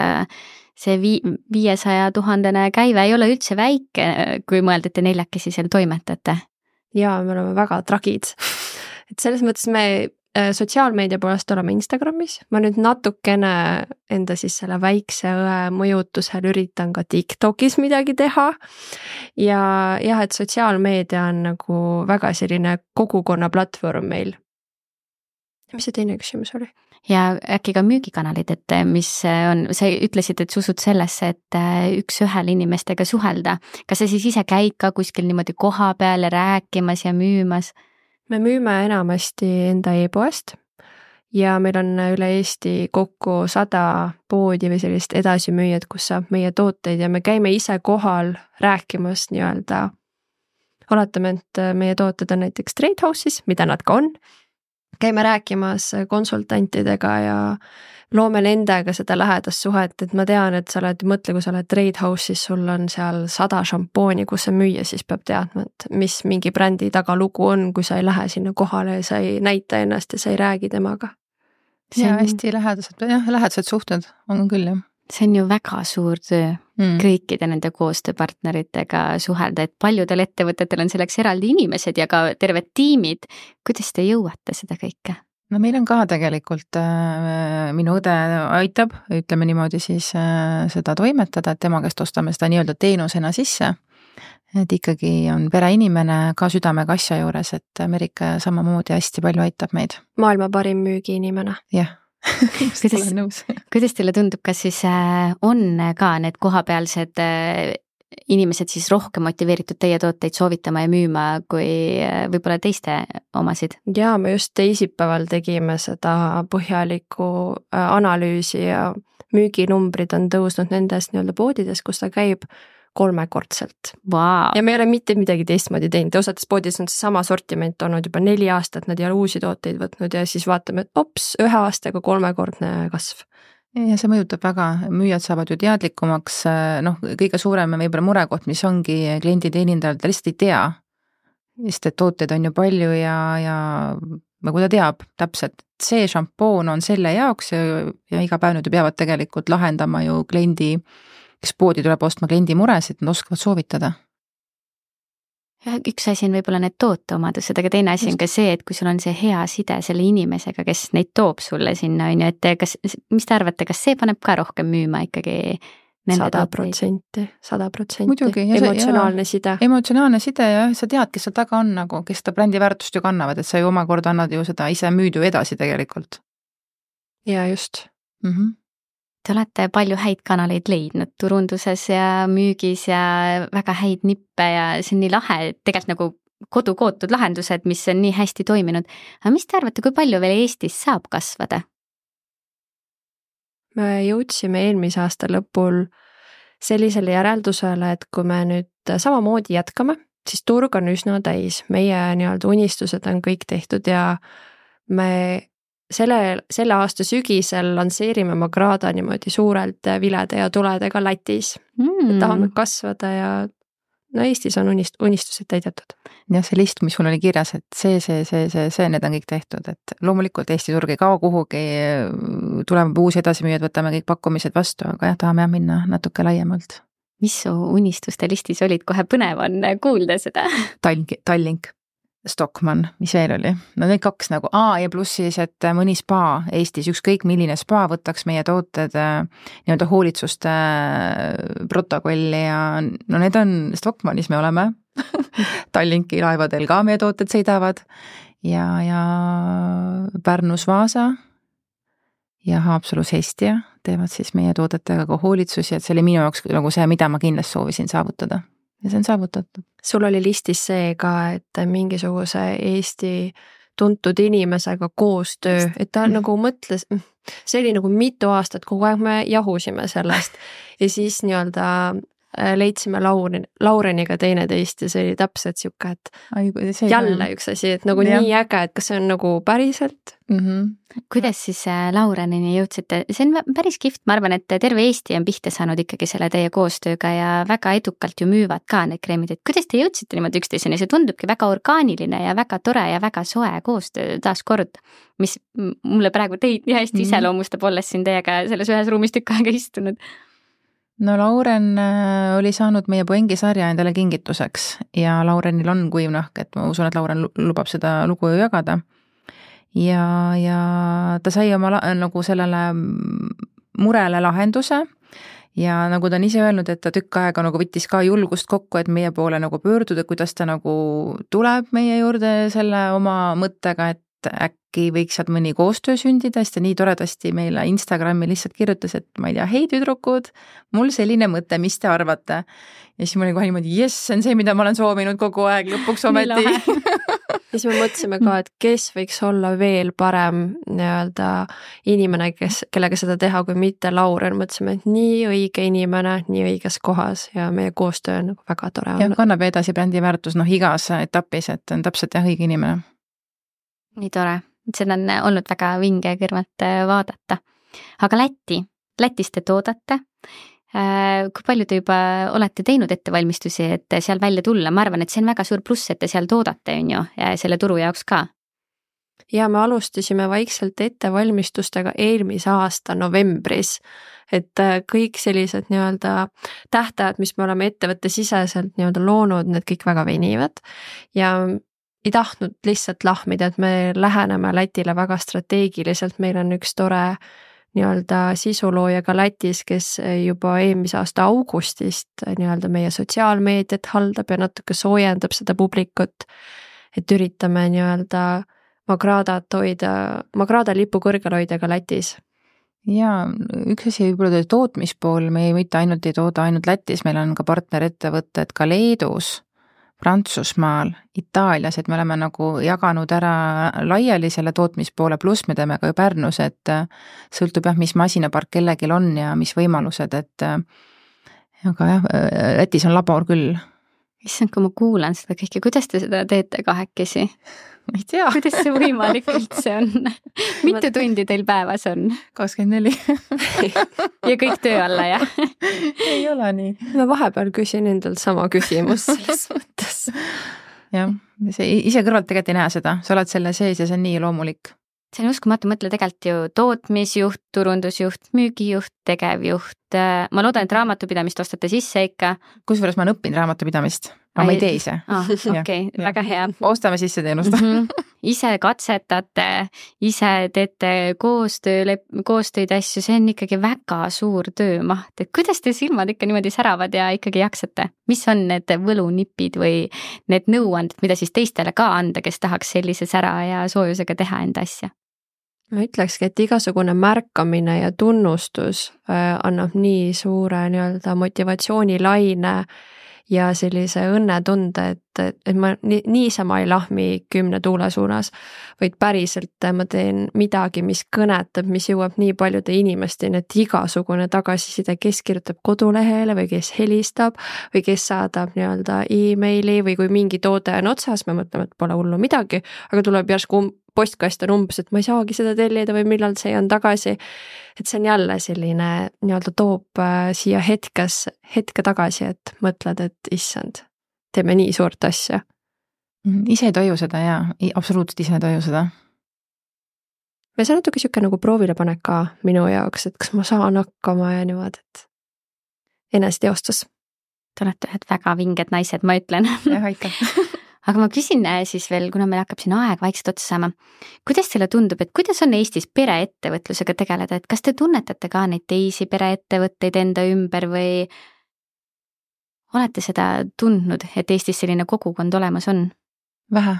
see vii, viiesaja tuhandene käive ei ole üldse väike, kui mõelda, et te neljakesi seal toimetate. Jaa, me oleme väga tragid. Et selles mõttes me sotsiaalmeedia poolest oleme Instagramis, ma nüüd natukene enda siis selle väikse õe mõjutusel üritan ka TikTokis midagi teha ja jah, et sotsiaalmeedia on nagu väga selline kogukonna platvorm meil. Ja mis see teine küsimus oli? Ja äkki ka müügikanalid, et mis on, sa ütlesid, et sa usud sellesse, et üks ühel inimestega suhelda. Kas sa siis ise käid ka kuskil niimoodi koha peale rääkimas ja müümas? Me müüme enamasti enda e-poest ja meil on üle Eesti kokku sada poodi või sellist edasimüüjad, kus saab meie tooteid ja me käime ise kohal rääkimas nii-öelda. Oletame, et meie tooted on näiteks Trade House'is, mida nad ka on. Käime rääkimas konsultantidega ja loome nendega seda lähedast suhet, et ma tean, et sa oled, mõtle, kui sa oled Trade House'is, sul on seal sada šampooni, kus sa müüa, siis peab teadma, et mis mingi brändi taga lugu on, kui sa ei lähe sinna kohale ja sa ei näita ennast ja sa ei räägi temaga. See on hästi lähedased, jah, lähedased suhted on küll, jah. See on ju väga suur töö mm. kõikide nende koostööpartneritega suhelda, et paljudel ettevõtetel on selleks eraldi inimesed ja ka terved tiimid. Kuidas te jõuate seda kõike? No meil on ka tegelikult, äh, minu õde aitab, ütleme niimoodi siis äh, seda toimetada, et tema käest ostame seda nii-öelda teenusena sisse. Et ikkagi on pereinimene ka südamega asja juures, et Merike samamoodi hästi palju aitab meid. Maailma parim müügiinimene. Jah. kuidas, kuidas teile tundub, kas siis on ka need kohapealsed inimesed siis rohkem motiveeritud teie tooteid soovitama ja müüma kui võib-olla teiste omasid? Jaa, me just teisipäeval tegime seda põhjalikku analüüsi ja müüginumbrid on tõusnud nendes nii-öelda poodides, kus ta käib kolmekordselt. Wow. Ja me ei ole mitte midagi teistmoodi teinud. Osades poodis on see sama sortiment olnud juba neli aastat, nad ei ole uusi tooteid võtnud ja siis vaatame, et ops, ühe aastaga kolmekordne kasv. Ja see mõjutab väga, müüjad saavad ju teadlikumaks, noh, kõige suurem võib-olla murekoht, mis ongi kliendi teenindajal, ta lihtsalt ei tea, sest et tooteid on ju palju ja, ja kui ta teab täpselt, see šampoon on selle jaoks ja, ja iga päev nüüd peavad tegelikult lahendama ju kliendi kes poodi tuleb ostma kliendi muresid, nad oskavad soovitada. Üks asi on võib-olla need tooteomadused, aga teine asi on ka see, et kui sul on see hea side selle inimesega, kes neid toob sulle sinna, on ju, et kas, mis te arvate, kas see paneb ka rohkem müüma ikkagi? Sada protsenti, sada protsenti. Emotsionaalne side. Emotsionaalne side ja sa tead, kes seal taga on, nagu, kes ta brändi väärtust ju kannavad, et sa ju omakorda annad ju seda ise müüd ju edasi tegelikult. Ja just. Mhm. Te olete palju häid kanaleid leidnud turunduses ja müügis ja väga häid nippe ja see on nii lahe, tegelikult nagu kodukootud lahendused, mis on nii hästi toiminud. Aga mis te arvate, kui palju veel Eestis saab kasvada? Me jõudsime eelmise aasta lõpul sellisele järeldusele, et kui me nüüd samamoodi jätkame, siis turg on üsna täis. Meie nii-öelda unistused on kõik tehtud ja me Selle, selle aasta sügisel lanseerime Magrada niimoodi suurelt vilede ja tuledega Lätis. Mm. Tahame kasvada ja no Eestis on unist, unistused täidetud. Ja see list, mis mul oli kirjas, et see, see, see, see, see, need on kõik tehtud, et loomulikult Eesti turg ei kao kuhugi, tuleme uusi edasimüüjad, võtame kõik pakkumised vastu, aga jah, tahame jah minna natuke laiemalt. Mis su unistuste listis olid, kohe põnev on kuulda seda? Tallink, Tallink. Stockmann, mis veel oli? No need kaks nagu A ja pluss siis, et mõni spa Eestis, ükskõik milline spa võtaks meie tooted nii-öelda hoolitsuste protokolli ja no need on, Stockmannis me oleme, Tallinki laevadel ka meie tooted sõidavad ja, ja Pärnus Vaasa ja Haapsalus Hestia teevad siis meie toodetega ka hoolitsusi, et see oli minu jaoks nagu see, mida ma kindlasti soovisin saavutada. Ja see on saavutatud. Sul oli listis see ka, et mingisuguse Eesti tuntud inimesega koostöö, et ta nagu mõtles, see oli nagu mitu aastat, kogu aeg me jahusime sellest ja siis nii-öelda leidsime Lauren, Laureniga teineteist ja see oli täpselt siuke, et Ai, jälle üks asi, et nagu ja. Nii äge, et kas see on nagu päriselt. Mm-hmm. Kuidas siis Laurenini jõudsite? See on päris kihvt, ma arvan, et terve Eesti on pihta saanud ikkagi selle teie koostööga ja väga edukalt ju müüvad ka need kreemid, et kuidas te jõudsite niimoodi üksteiseni, see tundubki väga orgaaniline ja väga tore ja väga soe koostöö taas kord, mis mulle praegu teid nii hästi mm-hmm. iseloomustab, olles siin teiega selles ühes ruumis tükk aega istunud. No Lauren oli saanud meie Poengi sarja endale kingituseks ja Laurenil on kuivnahk, et ma usun, et Lauren lubab seda lugu ju jagada. Ja, ja ta sai oma la, nagu sellele murele lahenduse ja nagu ta on ise öelnud, et ta tükk aega nagu võttis ka julgust kokku, et meie poole nagu pöörduda, kuidas ta nagu tuleb meie juurde selle oma mõttega, et äkki võiks sealt mõni koostöö sündida, sest ta nii toredasti meile Instagrami lihtsalt kirjutas, et ma ei tea, hei tüdrukud, mul selline mõte, mis te arvate? Ja siis ma olin kohe niimoodi, jess, see on see, mida ma olen soovinud kogu aeg lõpuks ometi. Ja siis me mõtlesime ka, et kes võiks olla veel parem nii-öelda inimene, kes, kellega seda teha, kui mitte Lauren. Mõtlesime, et nii õige inimene, nii õiges kohas ja meie koostöö on nagu väga tore. Ja kannab edasi brändi väärtus noh igas etapis, et on täpselt jah õige inimene. Nii tore, seda on olnud väga vinge kõrvalt vaadata. Aga Läti, Lätis te toodate. Kui palju te juba olete teinud ettevalmistusi, et seal välja tulla? Ma arvan, et see on väga suur pluss, et te seal toodate on ju, ja selle turu jaoks ka. Ja me alustasime vaikselt ettevalmistustega eelmise aasta novembris, et kõik sellised nii-öelda tähtajad, mis me oleme ettevõtte siseselt nii-öelda loonud, need kõik väga venivad ja ei tahtnud lihtsalt lahmida, et me läheneme Lätile väga strateegiliselt, meil on üks tore nii-öelda sisulooja ka Lätis, kes juba eelmise aasta augustist nii-öelda meie sotsiaalmeediat haldab ja natuke soojendab seda publikut, et üritame nii-öelda Magradat hoida, Magrada lipu kõrgel hoida ka Lätis. Ja üks asi võib-olla tootmispool, me ei mitte ainult ei tooda ainult Lätis, meil on ka partnerettevõtted ka Leedus, Prantsusmaal, Itaalias, et me oleme nagu jaganud ära laiali selle tootmispoole, pluss me teeme ka ju Pärnus, et sõltub jah, mis masinapark kellegil on ja mis võimalused, et aga jah, Lätis on labor küll. Issand, kui ma kuulan seda kõike, kuidas te seda teete kahekesi? Ma ei tea. Kuidas see võimalik üldse on? Mitu tundi teil päevas on? kakskümmend neli. Ja kõik töö alla, jah? Ei ole nii. Ma vahepeal küsin endalt sama küsimus selles mõttes. Jah, ise kõrvalt tegelikult ei näe seda. Sa oled selle sees ja see on nii loomulik. See on uskumatu, mõtle tegelikult ju tootmisjuht, turundusjuht, müügijuht, tegevjuht. Ma loodan, et raamatupidamist ostate sisse ikka. Kusjuures ma olen õppinud raamatupidamist. Aga ma ei tee ise. Ah, okei, väga hea. Ostame sisse teenust. Mm-hmm. Ise katsetate, ise teete koostöö, koostööd asju, see on ikkagi väga suur töömaht. Et kuidas te silmad ikka niimoodi säravad ja ikkagi jaksate? Mis on need võlunipid või need nõuanded, mida siis teistele ka anda, kes tahaks sellise sära ja soojusega teha enda asja? Ma ütlekski, et igasugune märkamine ja tunnustus annab nii suure nii-öelda motivatsioonilaine ja sellise õnnetunde, et, et ma niisama ei lahmi kümne tuule suunas, vaid päriselt ma teen midagi, mis kõnetab, mis jõuab nii paljude inimesteni, et igasugune tagasiside, kes kirjutab kodulehele või kes helistab või kes saadab nii-öelda e-maili või kui mingi toode on otsas, me mõtleme, et pole hullu midagi, aga tuleb järsku postkast on umbes, et ma ei saagi seda tellida või millal see on tagasi. Et see on jälle selline nii-öelda toob siia hetkes, hetke tagasi, et mõtled, et issand, teeme nii suurt asja. Ise ei toju seda ja absoluutselt ise ei toju seda. Ja see on natuke siuke nagu proovile panek ka minu jaoks, et kas ma saan hakkama ja niimoodi, et eneseteostus. Te olete ühed väga vinged naised, ma ütlen. Jah, aitäh. Aga ma küsin siis veel, kuna meil hakkab siin aeg vaikselt otsa saama, kuidas teile tundub, et kuidas on Eestis pereettevõtlusega tegeleda, et kas te tunnetate ka neid teisi pereettevõtteid enda ümber või olete seda tundnud, et Eestis selline kogukond olemas on? Vähe.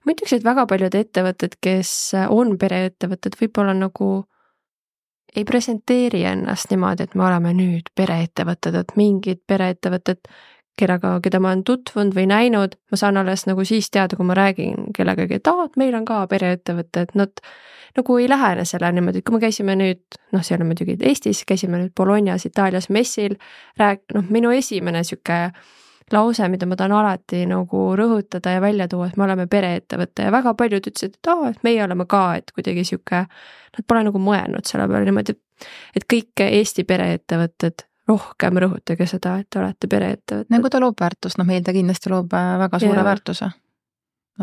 Ma ütleks, et väga paljud ettevõtted, kes on pereettevõtted, võib-olla nagu ei presenteeri ennast niimoodi, et me oleme nüüd pereettevõtted, et mingid pereettevõtted kellega, keda ma olen tutvunud või näinud, ma saan alles nagu siis teada, kui ma räägin kellegagi, et aa, et meil on ka pereettevõte, et nad nagu ei lähene selle niimoodi, et kui me käisime nüüd, noh, see on muidugi Eestis, käisime nüüd Bolognas, Itaalias messil, rääk-, noh, minu esimene sihuke lause, mida ma tahan alati nagu rõhutada ja välja tuua, et me oleme pereettevõte ja väga paljud ütlesid, et aa, et meie oleme ka, et kuidagi sihuke, nad pole nagu mõelnud selle peale niimoodi, et kõik Eesti pereettevõtted rohkem rõhutage seda, et te olete pereettevõtted. Nagu ta loob väärtust, noh meil ta kindlasti loob väga suure ja. väärtuse.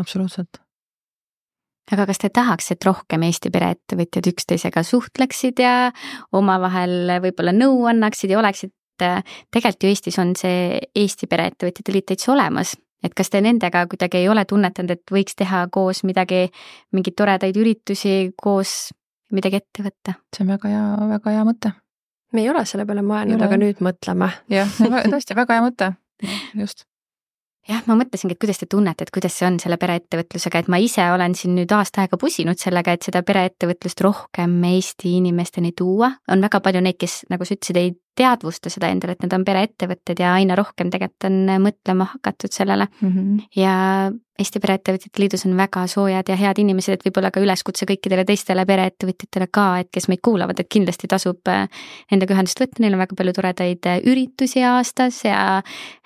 Absoluutselt. Aga kas te tahaks, et rohkem Eesti pereettevõtjad üksteisega suhtleksid ja omavahel võib-olla nõu annaksid ja oleksid, tegelikult ju Eestis on see Eesti pereettevõtjate liit täitsa olemas, et kas te nendega kuidagi ei ole tunnetanud, et võiks teha koos midagi, mingeid toredaid üritusi, koos midagi ette võtta? See on väga hea, väga hea mõte. Me ei ole selle peale mõelnud, aga nüüd mõtleme. Jah, tõesti väga hea mõte, just. Jah, ma mõtlesingi, et kuidas te tunnete, et kuidas see on selle pereettevõtlusega, et ma ise olen siin nüüd aasta aega pusinud sellega, et seda pereettevõtlust rohkem Eesti inimesteni tuua. On väga palju neid, kes, nagu sa ütlesid, ei teadvusta seda endale, et need on pereettevõtted ja aina rohkem tegelikult on mõtlema hakatud sellele. Mm-hmm. Ja Eesti Pereettevõtjate Liidus on väga soojad ja head inimesed, et võib-olla ka üleskutse kõikidele teistele pereettevõtjatele ka, et kes meid kuulavad, et kindlasti tasub nendega ühendust võtta, neil on väga palju toredaid üritusi aastas ja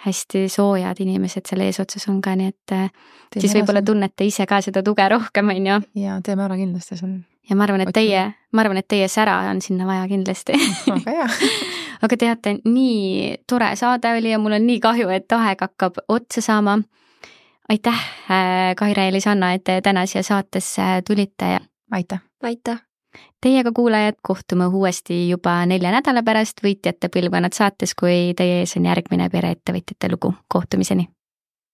hästi soojad inimesed selle eesotsas on ka, nii et teeme siis võib-olla tunnete ise ka seda tuge rohkem, on ju? Ja teeme ära kindlasti seal. Ja ma arvan, et teie, ma arvan, et teie sära on sinna vaja kindlasti. Väga hea. Aga teate, nii tore saade oli ja mul on nii kahju, et aeg hakkab otsa saama. Aitäh, Kaire ja Lisanna, et te täna siia saatesse tulite. Aitäh. Aitäh. Teiega kuulajad kohtume uuesti juba nelja nädala pärast Võitjate põlvkonnad saates, kui teie ees on järgmine pereettevõtjate lugu. Kohtumiseni.